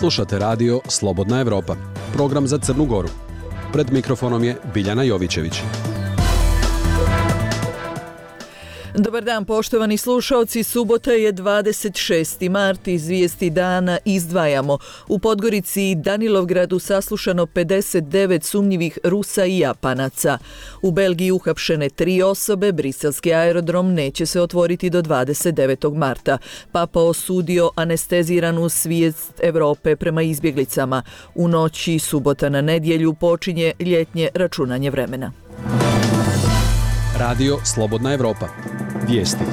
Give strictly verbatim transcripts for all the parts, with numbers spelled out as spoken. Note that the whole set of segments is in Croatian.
Slušate radio Slobodna Evropa, program za Crnu Goru. Pred mikrofonom je Biljana Jovićević. Dobar dan, poštovani slušaoci. Subota je dvadeset šesti mart. Iz vijesti dana izdvajamo. U Podgorici i Danilovgradu saslušano pedeset devet sumnjivih Rusa i Japanaca. U Belgiji uhapšene tri osobe. Briselski aerodrom neće se otvoriti do dvadeset devetog marta. Papa osudio anesteziranu svijest Evrope prema izbjeglicama. U noći subota na nedjelju počinje ljetnje računanje vremena. Radio Slobodna Evropa. Vijesti.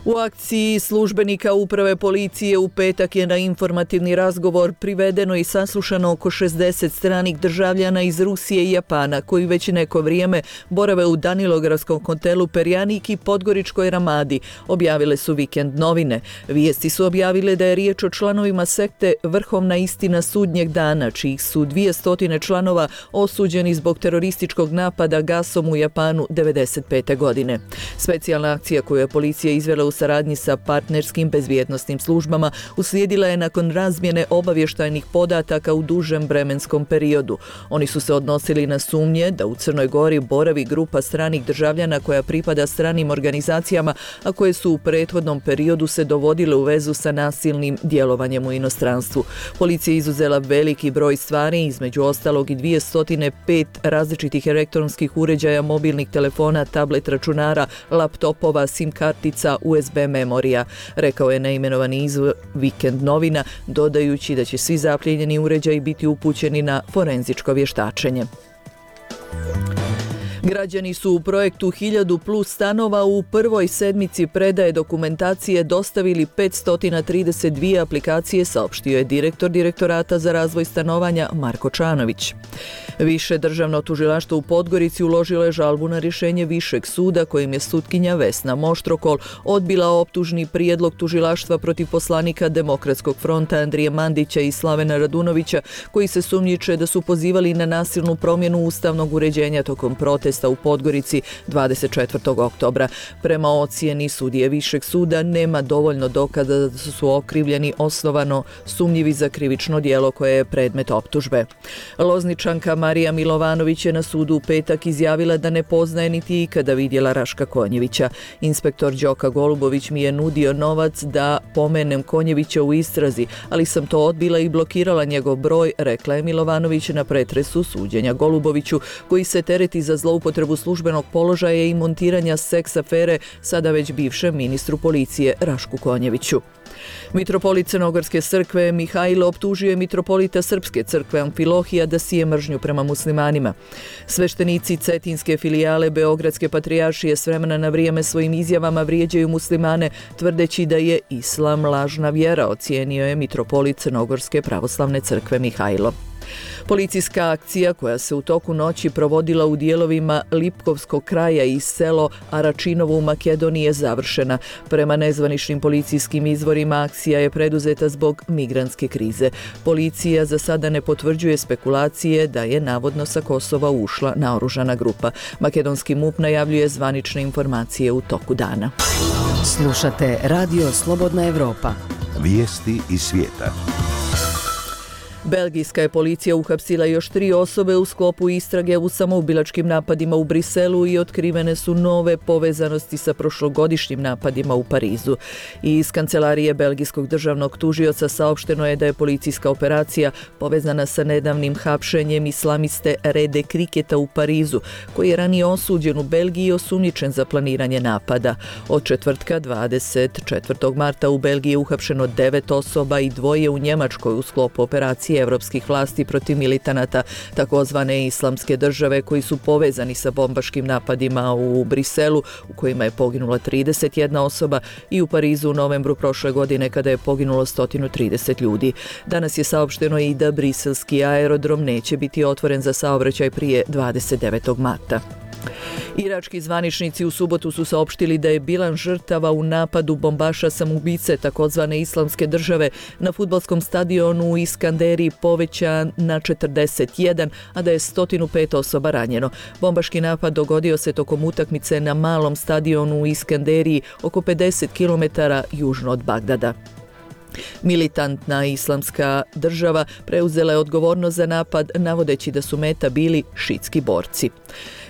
U akciji službenika uprave policije u petak je na informativni razgovor privedeno i saslušano oko šezdeset stranih državljana iz Rusije i Japana koji već neko vrijeme borave u Danilogradskom hotelu Perjanik i Podgoričkoj Ramadi, objavile su Vikend novine. Vijesti su objavile da je riječ o članovima sekte Vrhovna istina sudnjeg dana, čijih su dvjesto članova osuđeni zbog terorističkog napada gasom u Japanu devedeset pete godine. Specijalna akcija koju je policija izvela u saradnji sa partnerskim bezbjednosnim službama uslijedila je nakon razmjene obavještajnih podataka u dužem vremenskom periodu. Oni su se odnosili na sumnje da u Crnoj Gori boravi grupa stranih državljana koja pripada stranim organizacijama, a koje su u prethodnom periodu se dovodile u vezu sa nasilnim djelovanjem u inostranstvu. Policija je izuzela veliki broj stvari, između ostalog i dvjesto pet različitih elektronskih uređaja, mobilnih telefona, tablet računara, laptopova, sim kartica, U S B memorija, rekao je neimenovani izvor Vikend novina, dodajući da će svi zaplijenjeni uređaji biti upućeni na forenzičko vještačenje. Građani su u projektu hiljadu plus stanova u prvoj sedmici predaje dokumentacije dostavili petsto trideset dvije aplikacije, saopštio je direktor Direktorata za razvoj stanovanja Marko Čanović. Više državno tužilaštvo u Podgorici uložilo je žalbu na rješenje Višeg suda kojim je sutkinja Vesna Moštrokol odbila optužni prijedlog tužilaštva protiv poslanika Demokratskog fronta Andrije Mandića i Slavena Radunovića, koji se sumnjiče da su pozivali na nasilnu promjenu ustavnog uređenja tokom protesta u Podgorici dvadeset četvrtog oktobra. Prema ocjeni sudije Višeg suda nema dovoljno dokaza da su okrivljeni osnovano sumnjivi za krivično djelo koje je predmet optužbe. Lozničanka Marija Milovanović je na sudu u petak izjavila da ne poznaje niti ikada vidjela Raška Konjevića. Inspektor Đoka Golubović mi je nudio novac da pomenem Konjevića u istrazi, ali sam to odbila i blokirala njegov broj, rekla je Milovanović na pretresu suđenja Goluboviću, koji se tereti za zloupotrebu službenog položaja i montiranja seks afere sada već bivšem ministru policije Rašku Konjeviću. Mitropolit Crnogorske crkve Mihajlo optužio je mitropolita Srpske crkve Amfilohija da sije mržnju prema muslimanima. Sveštenici cetinske filijale Beogradske patrijaršije s vremena na vrijeme svojim izjavama vrijeđaju muslimane, tvrdeći da je islam lažna vjera, ocijenio je mitropolit Crnogorske pravoslavne crkve Mihajlo. Policijska akcija koja se u toku noći provodila u dijelovima Lipkovskog kraja i selo Aračinovo u Makedoniji je završena. Prema nezvaničnim policijskim izvorima akcija je preduzeta zbog migrantske krize. Policija za sada ne potvrđuje spekulacije da je navodno sa Kosova ušla naoružana grupa. Makedonski MUP najavljuje zvanične informacije u toku dana. Slušate Radio Slobodna Evropa. Vijesti iz svijeta. Belgijska je policija uhapsila još tri osobe u sklopu istrage u samoubilačkim napadima u Briselu i otkrivene su nove povezanosti sa prošlogodišnjim napadima u Parizu. Iz kancelarije belgijskog državnog tužioca saopšteno je da je policijska operacija povezana sa nedavnim hapšenjem islamiste Rede Kriketa u Parizu, koji je ranije osuđen u Belgiji i osumnjičen za planiranje napada. Od četvrtka dvadeset četvrtog marta u Belgiji je uhapšeno devet osoba i dvoje u Njemačkoj u sklopu operacije evropskih vlasti protiv militanata takozvane islamske države koji su povezani sa bombaškim napadima u Briselu u kojima je poginula trideset jedna osoba i u Parizu u novembru prošle godine kada je poginulo sto trideset ljudi. Danas je saopšteno i da briselski aerodrom neće biti otvoren za saobraćaj prije dvadeset devetog marta. Irački zvaničnici u subotu su saopštili da je bilan žrtava u napadu bombaša samoubice takozvane islamske države na fudbalskom stadionu u Iskanderiji povećan na četrdeset jedan, a da je sto pet osoba ranjeno. Bombaški napad dogodio se tokom utakmice na malom stadionu u Iskanderiji oko pedeset kilometara južno od Bagdada. Militantna islamska država preuzela je odgovornost za napad navodeći da su meta bili šiitski borci.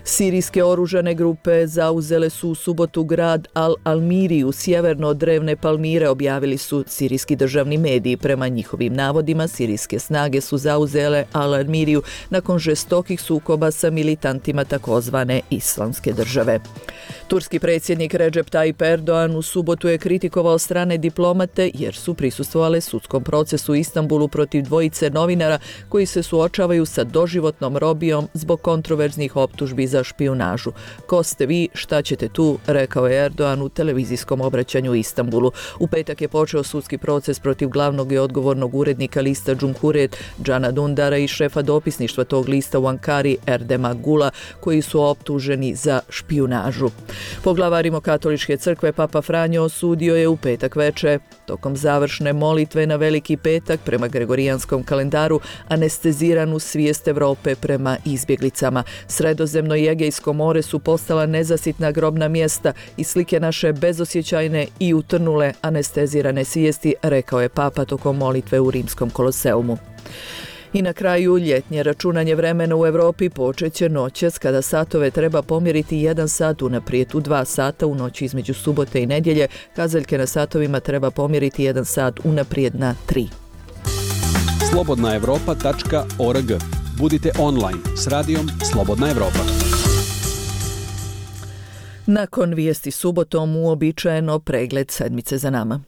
Sirijske oružane grupe zauzele su u subotu grad Al-Almiriju sjeverno od drevne Palmire, objavili su sirijski državni mediji. Prema njihovim navodima, sirijske snage su zauzele Al-Almiriju nakon žestokih sukoba sa militantima takozvane islamske države. Turski predsjednik Recep Tayyip Erdoğan u subotu je kritikovao strane diplomate jer su prisustvovale sudskom procesu u Istanbulu protiv dvojice novinara koji se suočavaju sa doživotnom robijom zbog kontroverznih optužbi za špijunažu. Ko ste vi, šta ćete tu, rekao je Erdoğan u televizijskom obraćanju u Istanbulu. U petak je počeo sudski proces protiv glavnog i odgovornog urednika lista Cumhuriyet Cana Dundara i šefa dopisništva tog lista u Ankari Erdema Gula, koji su optuženi za špijunažu. Poglavar Rimokatoličke crkve Papa Franjo osudio je u petak veče, tokom završne molitve na Veliki petak prema gregorijanskom kalendaru, anesteziranu svijest Europe prema izbjeglicama. Sredozemno i Egejsko more su postala nezasitna grobna mjesta i slike naše bezosjećajne i utrnule anestezirane svijesti, rekao je Papa tokom molitve u Rimskom koloseumu. I na kraju, ljetnje računanje vremena u Europi počet će noćas kada satove treba pomjeriti jedan sat unaprijed. U dva sata u noći između subote i nedjelje kazaljke na satovima treba pomjeriti jedan sat unaprijed na tri. slobodna europa tačka org. Budite online s radijom Slobodna Evropa. Nakon vijesti subotom uobičajeno pregled sedmice za nama.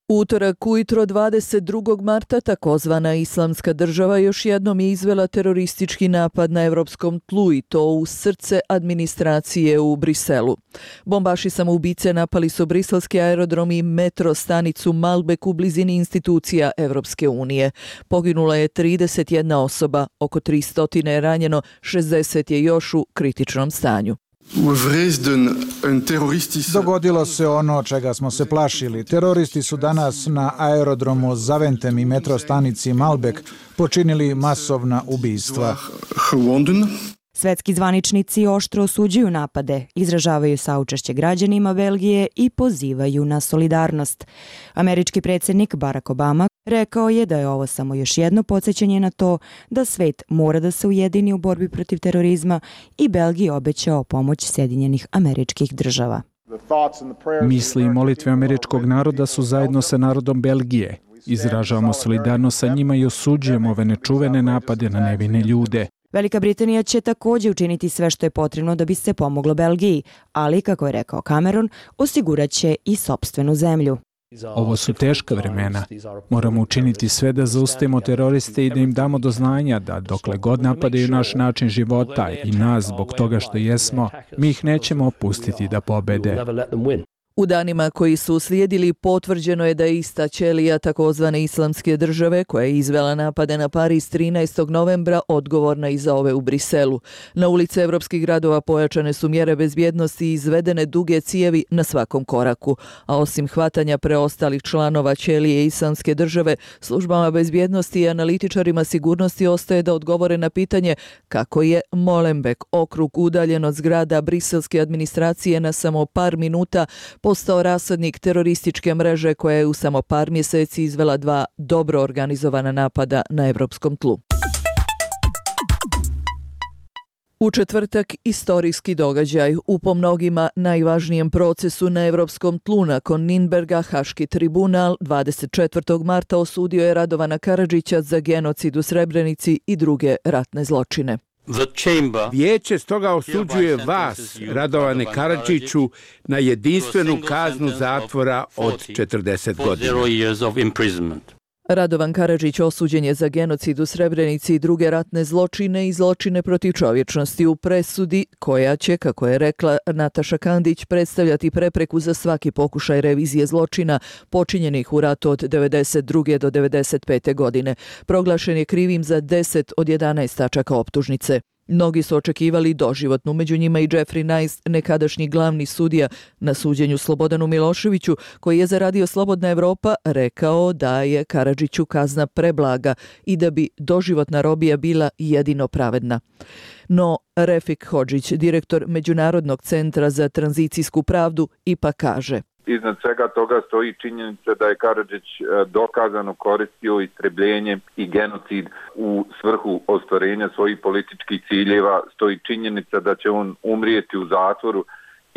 Utorak ujutro dvadeset drugog marta takozvana islamska država još jednom je izvela teroristički napad na europskom tlu i to u srce administracije u Briselu. Bombaši samoubice napali su briselski aerodrom i metro stanicu Malbek u blizini institucija Evropske unije. Poginula je trideset jedna osoba, oko tristo je ranjeno, šezdeset je još u kritičnom stanju. Dogodilo se ono čega smo se plašili. Teroristi su danas na aerodromu Zaventem i metrostanici Malbek počinili masovna ubistva. Svetski zvaničnici oštro osuđuju napade, izražavaju saučešće građanima Belgije i pozivaju na solidarnost. Američki predsjednik Barack Obama rekao je da je ovo samo još jedno podsjećanje na to da svet mora da se ujedini u borbi protiv terorizma i Belgiji obećao pomoć Sjedinjenih Američkih Država. Misli i molitve američkog naroda su zajedno sa narodom Belgije. Izražavamo solidarnost sa njima i osuđujemo ove nečuvene napade na nevine ljude. Velika Britanija će također učiniti sve što je potrebno da bi se pomoglo Belgiji, ali, kako je rekao Cameron, osigurat će i sopstvenu zemlju. Ovo su teška vremena. Moramo učiniti sve da zaustavimo teroriste i da im damo do znanja da dokle god napadaju naš način života i nas zbog toga što jesmo, mi ih nećemo opustiti da pobede. U danima koji su uslijedili potvrđeno je da je ista ćelija takozvane islamske države koja je izvela napade na Pariz trinaestog novembra odgovorna i za ove u Briselu. Na ulice evropskih gradova pojačane su mjere bezbjednosti i izvedene duge cijevi na svakom koraku. A osim hvatanja preostalih članova ćelije islamske države, službama bezbjednosti i analitičarima sigurnosti ostaje da odgovore na pitanje kako je Molenbeek, okrug udaljen od zgrada briselske administracije na samo par minuta, postao rasadnik terorističke mreže koja je u samo par mjeseci izvela dva dobro organizovana napada na evropskom tlu. U četvrtak istorijski događaj. U po mnogima najvažnijem procesu na evropskom tlu nakon Nürnberga Haški tribunal dvadeset četvrtog marta osudio je Radovana Karadžića za genocid u Srebrenici i druge ratne zločine. Vijeće stoga osuđuje vas, Radovane Karadžiću, na jedinstvenu kaznu zatvora od četrdeset godina. Radovan Karadžić osuđen je za genocid u Srebrenici i druge ratne zločine i zločine protiv čovječnosti u presudi, koja će, kako je rekla Nataša Kandić, predstavljati prepreku za svaki pokušaj revizije zločina počinjenih u ratu od devedeset druge do devedeset pete godine. Proglašen je krivim za deset od jedanaest tačaka optužnice. Mnogi su očekivali doživotnu, među njima i Jeffrey Nice, nekadašnji glavni sudija na suđenju Slobodanu Miloševiću, koji je za Radio Slobodna Evropa rekao da je Karadžiću kazna preblaga i da bi doživotna robija bila jedino pravedna. No, Refik Hodžić, direktor Međunarodnog centra za tranzicijsku pravdu, ipak kaže: iznad svega toga stoji činjenica da je Karadžić dokazano koristio istrebljenje i genocid u svrhu ostvarenja svojih političkih ciljeva, stoji činjenica da će on umrijeti u zatvoru.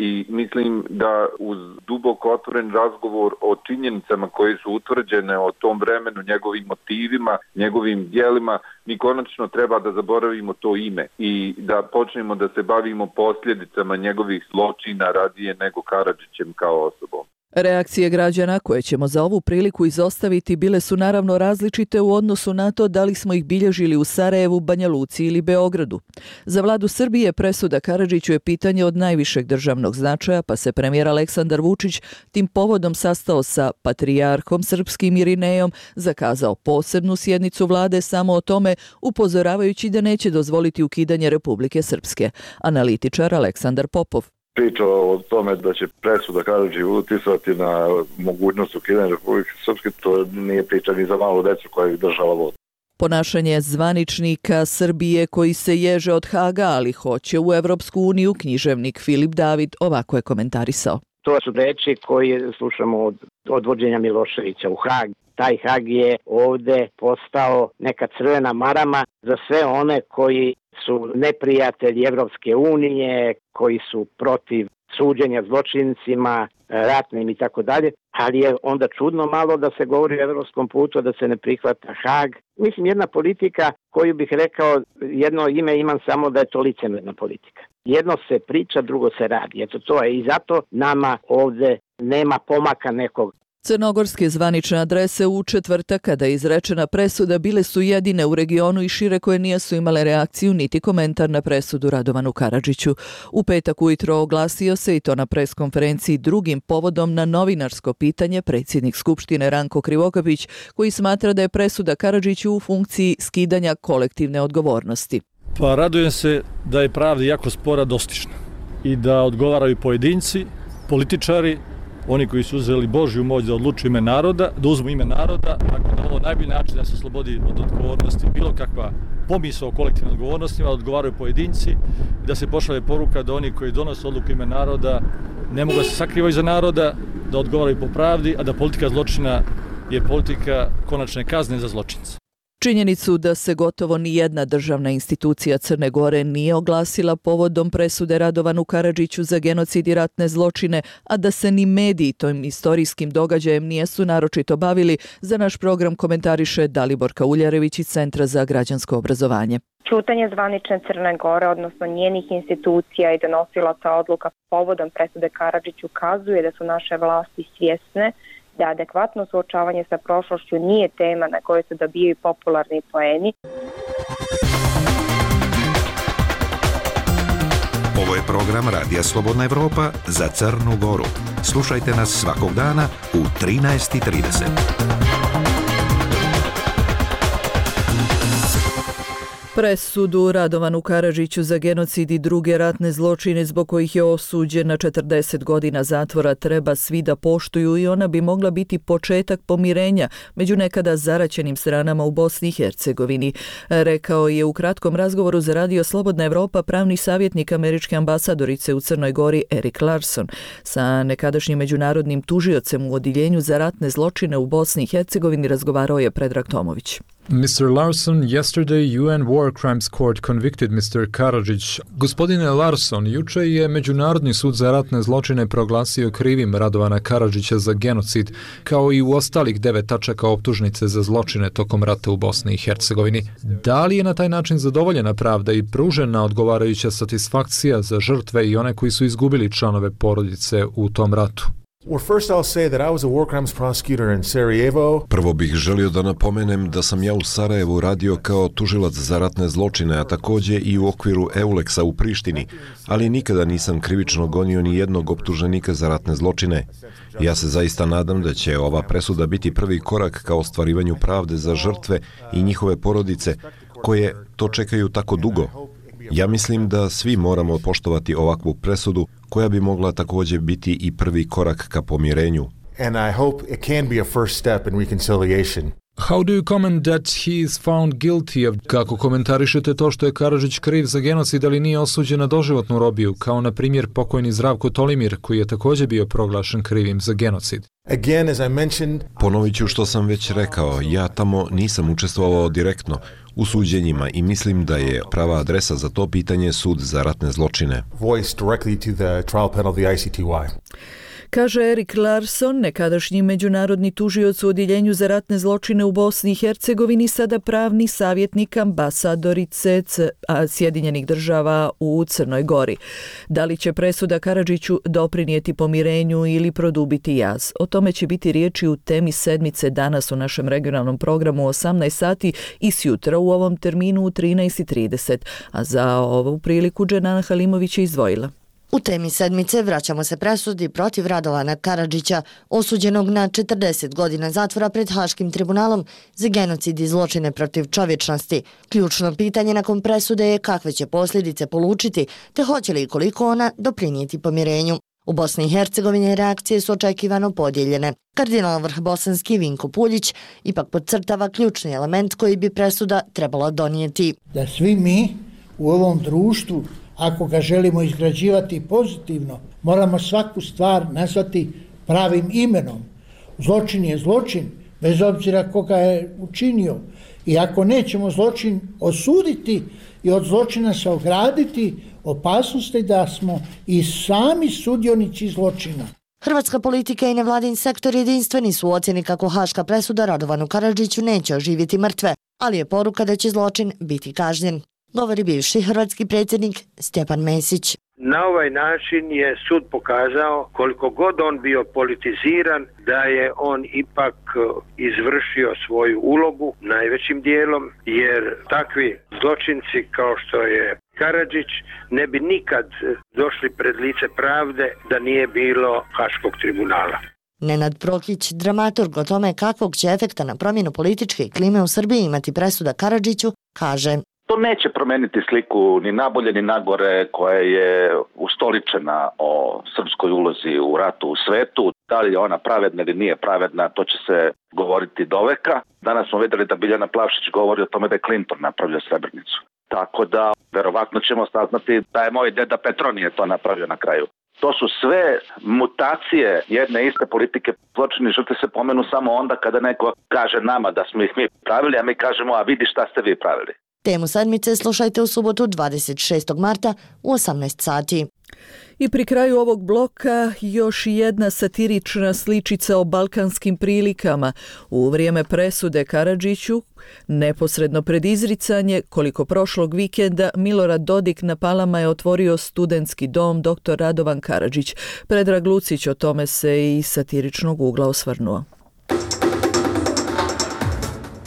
I mislim da uz duboko otvoren razgovor o činjenicama koje su utvrđene o tom vremenu, njegovim motivima, njegovim djelima, mi konačno treba da zaboravimo to ime i da počnemo da se bavimo posljedicama njegovih zločina radije nego Karadžićem kao osobom. Reakcije građana koje ćemo za ovu priliku izostaviti bile su naravno različite u odnosu na to da li smo ih bilježili u Sarajevu, Banja Luci ili Beogradu. Za vladu Srbije presuda Karadžiću je pitanje od najvišeg državnog značaja, pa se premijer Aleksandar Vučić tim povodom sastao sa patrijarhom srpskim Irinejom, zakazao posebnu sjednicu vlade samo o tome, upozoravajući da neće dozvoliti ukidanje Republike Srpske. Analitičar Aleksandar Popov. Priča o tome da će presuda Karadžiću uticati na mogućnost ukidanja Republike Srpske, to nije priča ni za malu decu koja ih držala vodu. Ponašanje zvaničnika Srbije koji se ježe od Haga, ali hoće u Evropsku uniju, književnik Filip David ovako je komentarisao. To su reči koje slušamo od odvođenja Miloševića u Hag. Taj Hag je ovde postao neka crvena marama za sve one koji su neprijatelji Evropske unije, koji su protiv suđenja zločincima, ratnim i tako dalje, ali je onda čudno malo da se govori o evropskom putu, da se ne prihvata Hag. Mislim, jedna politika koju bih rekao, jedno ime imam samo da je to licemerna politika. Jedno se priča, drugo se radi. Eto to je i zato nama ovde nema pomaka nekog. Crnogorske zvanične adrese u četvrtak kada je izrečena presuda bile su jedine u regionu i šire koje nisu imale reakciju niti komentar na presudu Radovanu Karadžiću. U petak ujutro oglasio se i to na preskonferenciji drugim povodom na novinarsko pitanje predsjednik Skupštine Ranko Krivokapić koji smatra da je presuda Karadžiću u funkciji skidanja kolektivne odgovornosti. Pa radujem se da je pravda jako spora dostižna i da odgovaraju pojedinci, političari, oni koji su uzeli Božju moć da odlučuju ime naroda, da uzmu ime naroda, tako da ovo najbolji način da se oslobodi od odgovornosti, bilo kakva pomisao o kolektivnim odgovornostima, da odgovaraju pojedinci i da se pošalje poruka da oni koji donose odluku ime naroda ne mogu da se sakrivaju za naroda, da odgovaraju po pravdi, a da politika zločina je politika konačne kazne za zločince. Činjenicu da se gotovo ni jedna državna institucija Crne Gore nije oglasila povodom presude Radovanu Karadžiću za genocid i ratne zločine, a da se ni mediji tom istorijskim događajem nijesu naročito bavili, za naš program komentariše Dalibor Kauljarević iz Centra za građansko obrazovanje. Ćutanje zvanične Crne Gore, odnosno njenih institucija i donosilaca odluka povodom presude Karadžiću ukazuje da su naše vlasti svjesne da adekvatno suočavanje sa prošlošću nije tema na kojoj se dobijaju popularni poeni. Ovo je program Radija Slobodna Evropa za Crnu Goru. Slušajte nas svakog dana u trinaest i trideset. Presudu Radovanu Karadžiću za genocid i druge ratne zločine zbog kojih je osuđen na četrdeset godina zatvora treba svi da poštuju i ona bi mogla biti početak pomirenja među nekada zaraćenim stranama u Bosni i Hercegovini, rekao je u kratkom razgovoru za Radio Slobodna Evropa pravni savjetnik američke ambasadorice u Crnoj Gori Erik Larson. Sa nekadašnjim međunarodnim tužiocem u odjeljenju za ratne zločine u Bosni i Hercegovini razgovarao je Predrag Tomović. mister Larson, yesterday U N War Crimes Court convicted mister Karadžić. Gospodine Larson, juče je Međunarodni sud za ratne zločine proglasio krivim Radovana Karadžića za genocid, kao i u ostalih devet tačaka optužnice za zločine tokom rata u Bosni i Hercegovini. Da li je na taj način zadovoljena pravda i pružena odgovarajuća satisfakcija za žrtve i one koji su izgubili članove porodice u tom ratu? Prvo bih želio da napomenem da sam ja u Sarajevu radio kao tužilac za ratne zločine, a također i u okviru Euleksa u Prištini, ali nikada nisam krivično gonio ni jednog optuženika za ratne zločine. Ja se zaista nadam da će ova presuda biti prvi korak ka ostvarivanju pravde za žrtve i njihove porodice, koje to čekaju tako dugo. Ja mislim da svi moramo poštovati ovakvu presudu koja bi mogla također biti i prvi korak ka pomirenju. And I hope it can be a first step in reconciliation. How do you comment that he is found guilty of... Kako komentarišete to što je Karadžić kriv za genocid, ali nije osuđen na doživotnu robiju, kao na primjer pokojni Zdravko Tolimir, koji je također bio proglašen krivim za genocid? Again, as I mentioned... Ponovit ću što sam već rekao, ja tamo nisam učestvovao direktno u suđenjima i mislim da je prava adresa za to pitanje sud za ratne zločine. Voice directly to the trial panel of the I C T Y. Kaže Erik Larsson, nekadašnji međunarodni tužioc u Odjeljenju za ratne zločine u Bosni i Hercegovini, sada pravni savjetnik ambasadorice Sjedinjenih država u Crnoj Gori. Da li će presuda Karadžiću doprinijeti pomirenju ili produbiti jaz? O tome će biti riječi u temi sedmice danas u našem regionalnom programu u osamnaest sati i sjutra u ovom terminu u trinaest i trideset. A za ovu priliku Dženana Halimović je izdvojila. U temi sedmice vraćamo se presudi protiv Radovana Karadžića, osuđenog na četrdeset godina zatvora pred Haškim tribunalom za genocid i zločine protiv čovječnosti. Ključno pitanje nakon presude je kakve će posljedice polučiti, te hoće li i koliko ona doprinijeti pomirenju. U Bosni i Hercegovini reakcije su očekivano podijeljene. Kardinal vrhbosanski Vinko Puljić ipak podcrtava ključni element koji bi presuda trebala donijeti. Da svi mi u ovom društvu, ako ga želimo izgrađivati pozitivno, moramo svaku stvar nazvati pravim imenom. Zločin je zločin, bez obzira koga je učinio. I ako nećemo zločin osuditi i od zločina se ograditi, opasnosti da smo i sami sudionici zločina. Hrvatska politika i nevladin sektor jedinstveni su u ocjeni kako haška presuda Radovanu Karadžiću neće oživjeti mrtve, ali je poruka da će zločin biti kažnjen. Govori bivši hrvatski predsjednik Stjepan Mesić. Na ovaj način je sud pokazao, koliko god on bio politiziran, da je on ipak izvršio svoju ulogu najvećim dijelom, jer takvi zločinci kao što je Karadžić ne bi nikad došli pred lice pravde da nije bilo Haškog tribunala. Nenad Prokić, dramaturg o tome kakvog će efekta na promjenu političke klime u Srbiji imati presuda Karadžiću, kaže: To neće promeniti sliku ni nabolje ni nagore koja je ustoličena o srpskoj ulozi u ratu u svetu. Da li je ona pravedna ili nije pravedna, to će se govoriti doveka. Danas smo vidjeli da Biljana Plavšić govori o tome da je Clinton napravio Srebrenicu. Tako da verovatno ćemo saznati da je moj deda Petronije to napravio na kraju. To su sve mutacije jedne iste politike. Zločini žrtve se pomenu samo onda kada neko kaže nama da smo ih mi pravili, a mi kažemo: a vidi šta ste vi pravili. Temu sedmice slušajte u subotu dvadeset šestog marta u osamnaest sati. I pri kraju ovog bloka još jedna satirična sličica o balkanskim prilikama. U vrijeme presude Karadžiću, neposredno pred izricanje, koliko prošlog vikenda, Milorad Dodik na Palama je otvorio studentski dom doktor Radovan Karadžić. Predrag Lucić o tome se i satiričnog ugla osvrnuo.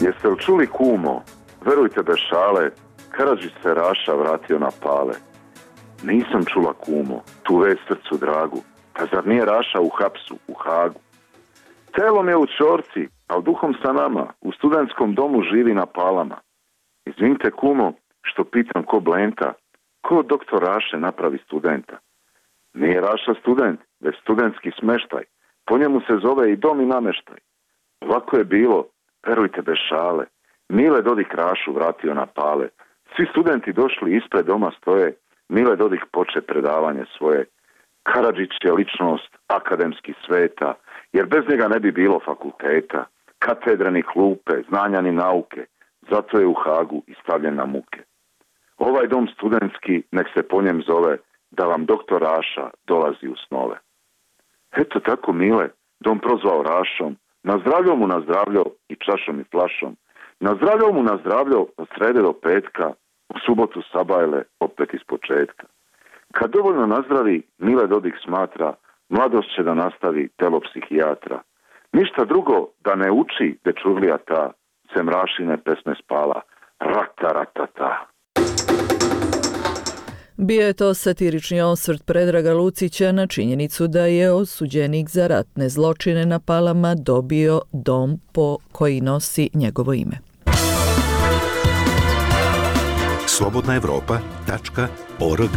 Jeste li čuli, kumo? Verujte bez šale, Karadžić se Raša vratio na Pale. Nisam čula, kumo, tu već srcu dragu, pa zar nije Raša u hapsu, u Hagu? Telom je u čorci, a duhom sa nama, u studentskom domu živi na Palama. Izvinite, kumo, što pitam ko Blenta, ko doktor Raše napravi studenta? Nije Raša student, već studentski smeštaj, po njemu se zove i dom i nameštaj. Ovako je bilo, verujte bez šale, Mile Dodik Rašu vratio na Pale. Svi studenti došli ispred doma stoje, Mile Dodik poče predavanje svoje. Karadžić je ličnost akademski sveta, jer bez njega ne bi bilo fakulteta, katedre ni klupe, znanja ni nauke, zato je u Hagu i stavljen na muke. Ovaj dom studentski, nek se po njem zove, da vam doktor Raša dolazi u snove. Eto tako Mile, dom prozvao Rašom, nazdravljao mu nazdravljao i čašom i flašom, nazdravljao mu nazdravljao od srede do petka, u subotu sabajle opet iz početka. Kad dovoljno nazdravi, Mile Dodik smatra, mladost će da nastavi telo psihijatra. Ništa drugo da ne uči dečurlija ta, sem Rašine pesme spala, rata ratata. Bio je to satirični osvrt Predraga Lucića na činjenicu da je osuđenik za ratne zločine na Palama dobio dom po koji nosi njegovo ime. slobodna evropa tačka org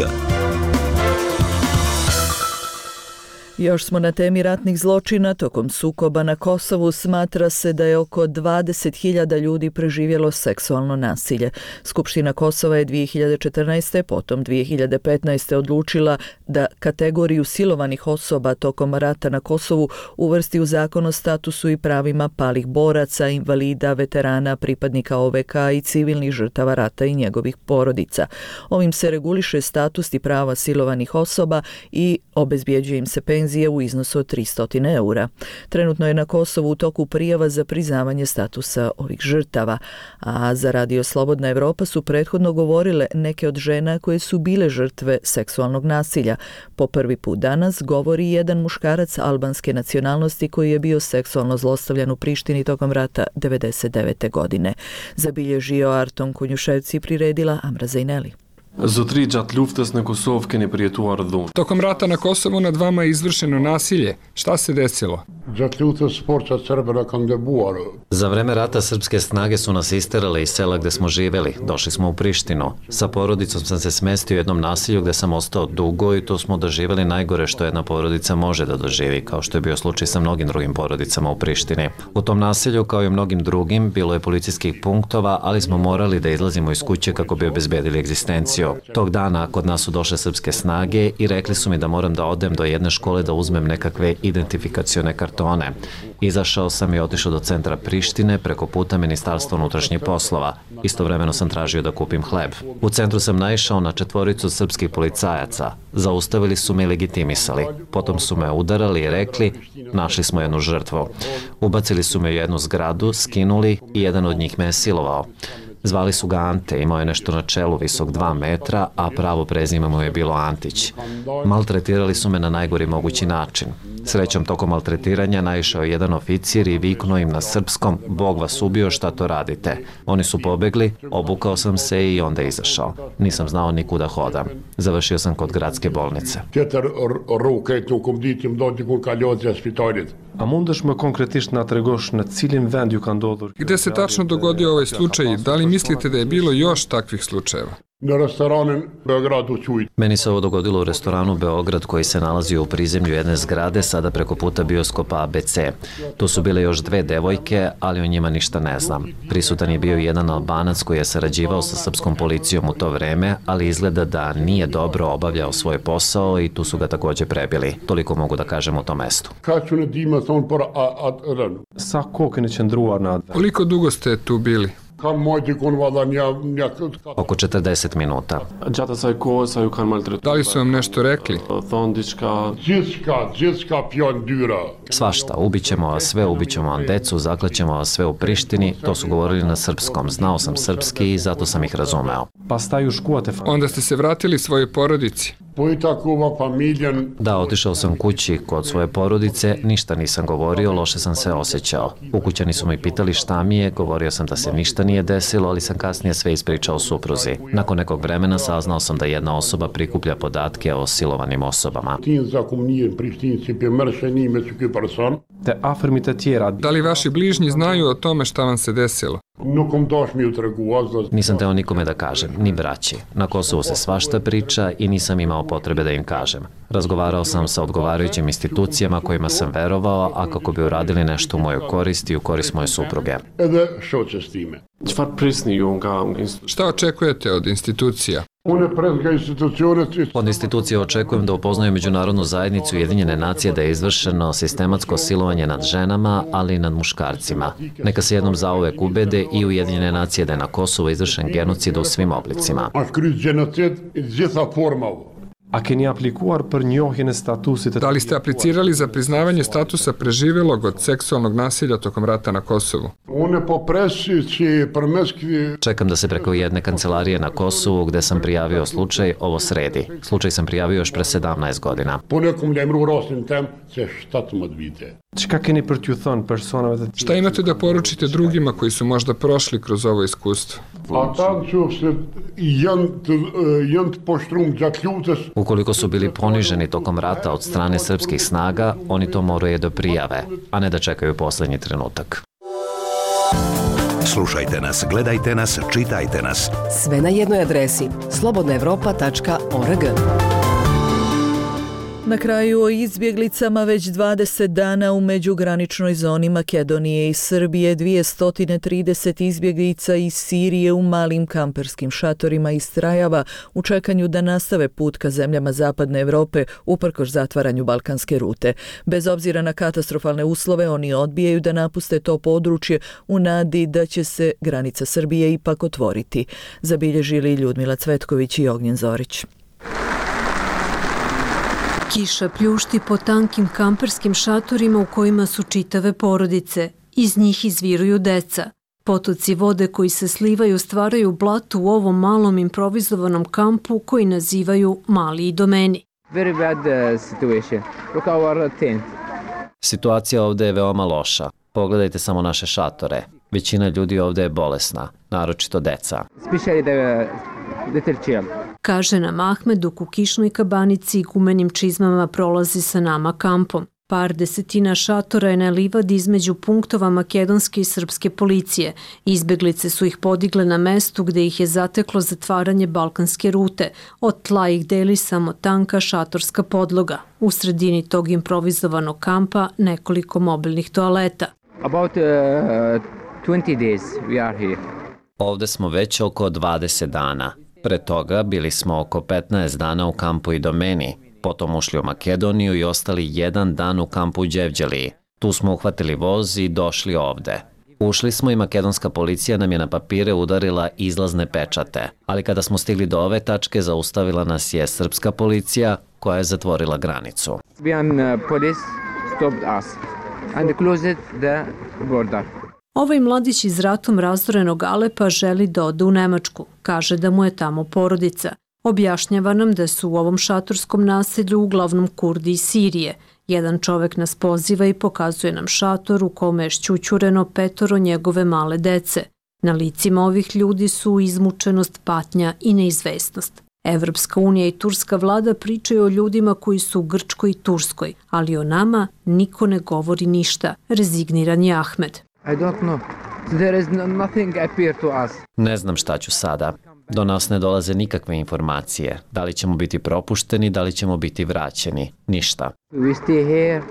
Još smo na temi ratnih zločina. Tokom sukoba na Kosovu smatra se da je oko dvadeset hiljada ljudi preživjelo seksualno nasilje. Skupština Kosova je dvije hiljade četrnaeste. potom dvije hiljade petnaeste. odlučila da kategoriju silovanih osoba tokom rata na Kosovu uvrsti u zakon o statusu i pravima palih boraca, invalida, veterana, pripadnika O V K i civilnih žrtava rata i njegovih porodica. Ovim se reguliše status i prava silovanih osoba i obezbjeđuje im se penzija u iznosu od tristo eura. Trenutno je na Kosovu u toku prijava za priznavanje statusa ovih žrtava, a za Radio Slobodna Evropa su prethodno govorile neke od žena koje su bile žrtve seksualnog nasilja. Po prvi put danas govori jedan muškarac albanske nacionalnosti koji je bio seksualno zlostavljan u Prištini tokom rata devedeset devete. godine. Zabilježio Arton Kunjuševci, priredila Amra Zejneli. Zotri, gjatë luftës në Kosovë keni përjetuar dhunë. Tokom rata na Kosovu nad vama je izvršeno nasilje. Šta se desilo? Gjatë luftës forcat serbe na kanë debuar. Za vreme rata srpske snage su nas isterale iz sela gde smo živeli. Došli smo u Prištinu. Sa porodicom sam se smestio u jednom nasilju gde sam ostao dugo i to smo doživjeli najgore što jedna porodica može da doživi, kao što je bio slučaj sa mnogim drugim porodicama u Prištini. U tom nasilju, kao i mnogim drugim, bilo je policijskih punktova, ali smo morali da izlazimo iz kuće kako bi obezbedili egzistenciju. Tog dana kod nas su došle srpske snage i rekli su mi da moram da odem do jedne škole da uzmem nekakve identifikacione kartone. Izašao sam i otišao do centra Prištine preko puta Ministarstva unutrašnjih poslova. Istovremeno sam tražio da kupim hleb. U centru sam naišao na četvoricu srpskih policajaca. Zaustavili su me i legitimisali. Potom su me udarali i rekli, našli smo jednu žrtvu. Ubacili su me u jednu zgradu, skinuli i jedan od njih me je silovao. Zvali su ga Ante, imao je nešto na čelu visok dva metra, a pravo prezime mu je bilo Antić. Maltretirali su me na najgori mogući način. Srećom, tokom maltretiranja naišao je jedan oficir i viknuo im na srpskom, Bog vas ubio, šta to radite. Oni su pobegli, obukao sam se i onda izašao. Nisam znao ni kuda hodam. Završio sam kod gradske bolnice. A mundesh më konkretisht na tregosh në cilin vend ju ka ndodhur? Gde se tačno dogodio ovaj slučaj? Da li mislite da je bilo još takvih slučajeva? Na restoranin Beogradu Čuj. Meni se ovo dogodilo u restoranu Beograd koji se nalazi u prizemlju jedne zgrade, sada preko puta bioskopa A B C. Tu su bile još dve devojke, ali o njima ništa ne znam. Prisutan je bio jedan Albanac koji je sarađivao sa srpskom policijom u to vreme, ali izgleda da nije dobro obavljao svoj posao i tu su ga također prebili. Toliko mogu da kažem o tom mestu. Sa kohë keni qëndruar në atë? Koliko dugo ste tu bili? Oko četrdeset minuta. Gjatë asaj kohë sa ju kanë maltretuar? Da li su vam nešto rekli? Thon diçka. Gjithçka, gjithçka fjalë dyra. Svašta, ubićemo vas sve, ubićemo vam decu, zaklaćemo vas sve u Prištini, to su govorili na srpskom. Znao sam srpski i zato sam ih razumeo. Pastaj u shkuat e Onda ste se vratili svojoj porodici? Da, otišao sam kući kod svoje porodice, ništa nisam govorio, loše sam se osjećao. Ukućani su mi pitali šta mi je, govorio sam da se ništa nije desilo, ali sam kasnije sve ispričao supruzi. Nakon nekog vremena saznao sam da jedna osoba prikuplja podatke o silovanim osobama. Da li vaši bližnji znaju o tome šta vam se desilo? Nisam teo nikome da kažem, ni braći. Na Kosovu se svašta priča i nisam imao potrebe da im kažem. Razgovarao sam sa odgovarajućim institucijama kojima sam verovao, a kako bi uradili nešto u moju korist i u korist moje supruge. Šta očekujete od institucija? Od institucije očekujem da upoznaju međunarodnu zajednicu Ujedinjene nacije da je izvršeno sistematsko silovanje nad ženama, ali i nad muškarcima. Neka se jednom zauvek ubede i Ujedinjene nacije da je na Kosovu izvršen genocid u svim oblicima. A keni aplikuar për njohjen e statusit? Da li ste aplicirali za priznavanje statusa preživelog od seksualnog nasilja tokom rata na Kosovu? Čekam da se preko jedne kancelarije na Kosovu gde sam prijavio slučaj ovo sredi. Slučaj sam prijavio još pre sedamnaest godina. Šta imate da poručite drugima koji su možda prošli kroz ovo iskustvo? Ukoliko su bili poniženi tokom rata od strane srpskih snaga, oni to moraju da prijave, a ne da čekaju poslednji trenutak. Slušajte nas, gledajte nas, čitajte nas. Sve na jednoj adresi slobodna evropa tačka org. Na kraju o izbjeglicama već dvadeset dana u međugraničnoj zoni Makedonije i Srbije dvjesto trideset izbjeglica iz Sirije u malim kamperskim šatorima istrajava u čekanju da nastave put ka zemljama zapadne Europe uprkos zatvaranju balkanske rute. Bez obzira na katastrofalne uslove, oni odbijaju da napuste to područje u nadi da će se granica Srbije ipak otvoriti. Zabilježili Ljudmila Cvetković i Ognjen Zorić. Kiša pljušti po tankim kamperskim šatorima u kojima su čitave porodice. Iz njih izviruju deca. Potoci vode koji se slivaju stvaraju blato u ovom malom improvizovanom kampu koji nazivaju Mali Idomeni. Very bad uh, situation. Look our tent. Situacija ovdje je veoma loša. Pogledajte samo naše šatore. Većina ljudi ovdje je bolesna, naročito deca. Especially the little children. Kaže nam Ahmed dok u kišnoj kabanici i gumenim čizmama prolazi sa nama kampom. Par desetina šatora je na livadi između punktova makedonske i srpske policije. Izbjeglice su ih podigle na mestu gdje ih je zateklo zatvaranje balkanske rute. Od tla ih deli samo tanka šatorska podloga. U sredini tog improvizovanog kampa nekoliko mobilnih toaleta. About uh, twenty days we are here. Ovdje smo već oko dvadeset dana. Pre toga bili smo oko petnaest dana u kampu Idomeni, potom ušli u Makedoniju i ostali jedan dan u kampu u Đevđeliji. Tu smo uhvatili voz i došli ovde. Ušli smo i makedonska policija nam je na papire udarila izlazne pečate, ali kada smo stigli do ove tačke zaustavila nas je srpska policija koja je zatvorila granicu. Serbian police stopped us and closed the border. Ovaj mladić iz ratom razorenog Alepa želi da ode u Nemačku. Kaže da mu je tamo porodica. Objašnjava nam da su u ovom šatorskom naselju uglavnom Kurdi iz Sirije. Jedan čovek nas poziva i pokazuje nam šator u kome je šćućureno petoro njegove male dece. Na licima ovih ljudi su izmučenost, patnja i neizvesnost. Evropska unija i turska vlada pričaju o ljudima koji su u Grčkoj i Turskoj, ali o nama niko ne govori ništa, rezigniran je Ahmed. I don't know. There is nothing appear to us. Ne znam šta ću sada. Do nas ne dolaze nikakve informacije. Da li ćemo biti propušteni, da li ćemo biti vraćeni. Ništa. We stay here.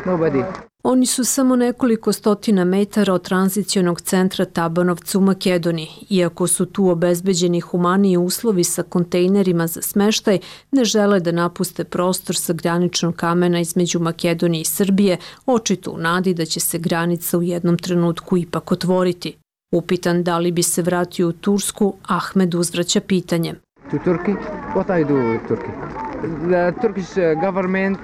Nobody. Oni su samo nekoliko stotina metara od tranzicionog centra Tabanovca u Makedoniji. Iako su tu obezbeđeni humaniji uslovi sa kontejnerima za smeštaj, ne žele da napuste prostor sa graničnog kamena između Makedonije i Srbije, očito u nadi da će se granica u jednom trenutku ipak otvoriti. Upitan da li bi se vratio u Tursku, Ahmed uzvraća pitanjem. To Turkey? What I do with Turkey? The Turkish government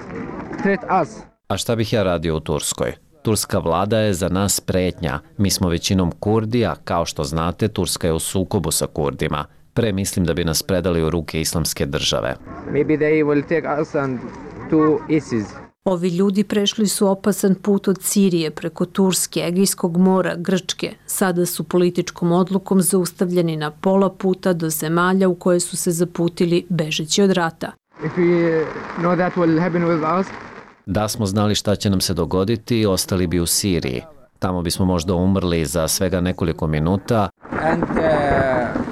threat us. A šta bih ja radio u Turskoj? Turska vlada je za nas pretnja. Mi smo većinom Kurdi, a kao što znate, Turska je u sukobu sa Kurdima. Pre mislim da bi nas predali u ruke islamske države. Maybe they will take us and to ISIS. Ovi ljudi prešli su opasan put od Sirije preko Turske, Egejskog mora, Grčke. Sada su političkom odlukom zaustavljeni na pola puta do zemalja u koje su se zaputili bežeći od rata. If we know that will happen with us, da smo znali šta će nam se dogoditi, ostali bi u Siriji. Tamo bismo možda umrli za svega nekoliko minuta, and, uh...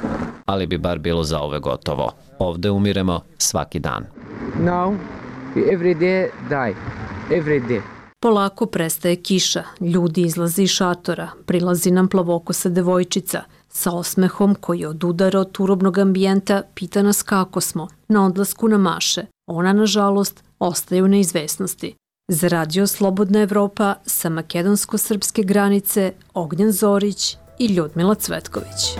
ali bi bar bilo za ove gotovo. Ovde umiremo svaki dan. Now, we every day die. Every day. Polako prestaje kiša, ljudi izlaze iz šatora, prilazi nam plavokosa devojčica. Sa osmehom koji od udara od turobnog ambijenta pita nas kako smo, na odlasku na maše. Ona, nažalost, ostaje u neizvesnosti. Za Radio Slobodna Evropa sa makedonsko-srpske granice Ognjen Zorić i Ljudmila Cvetković.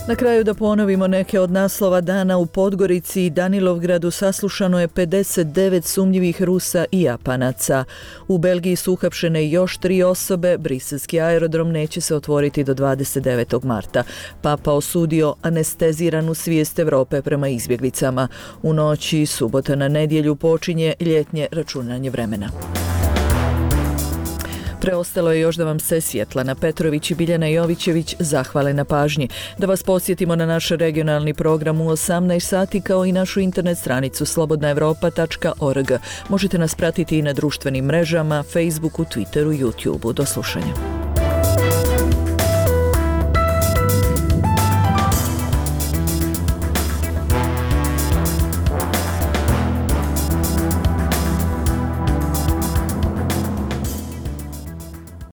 Na kraju da ponovimo neke od naslova dana. U Podgorici i Danilovgradu saslušano je pedeset devet sumnjivih Rusa i Japanaca. U Belgiji su uhapšene još tri osobe. Briselski aerodrom neće se otvoriti do dvadeset devetog marta. Papa osudio anesteziranu svijest Evrope prema izbjeglicama. U noći subota na nedjelju počinje ljetnje računanje vremena. Preostalo je još da vam se Svjetlana Petrović i Biljana Jovićević zahvale na pažnji. Da vas podsjetimo na naš regionalni program u osamnaest sati kao i našu internet stranicu slobodna evropa tačka org. Možete nas pratiti i na društvenim mrežama, Facebooku, Twitteru, YouTubeu. Do slušanja.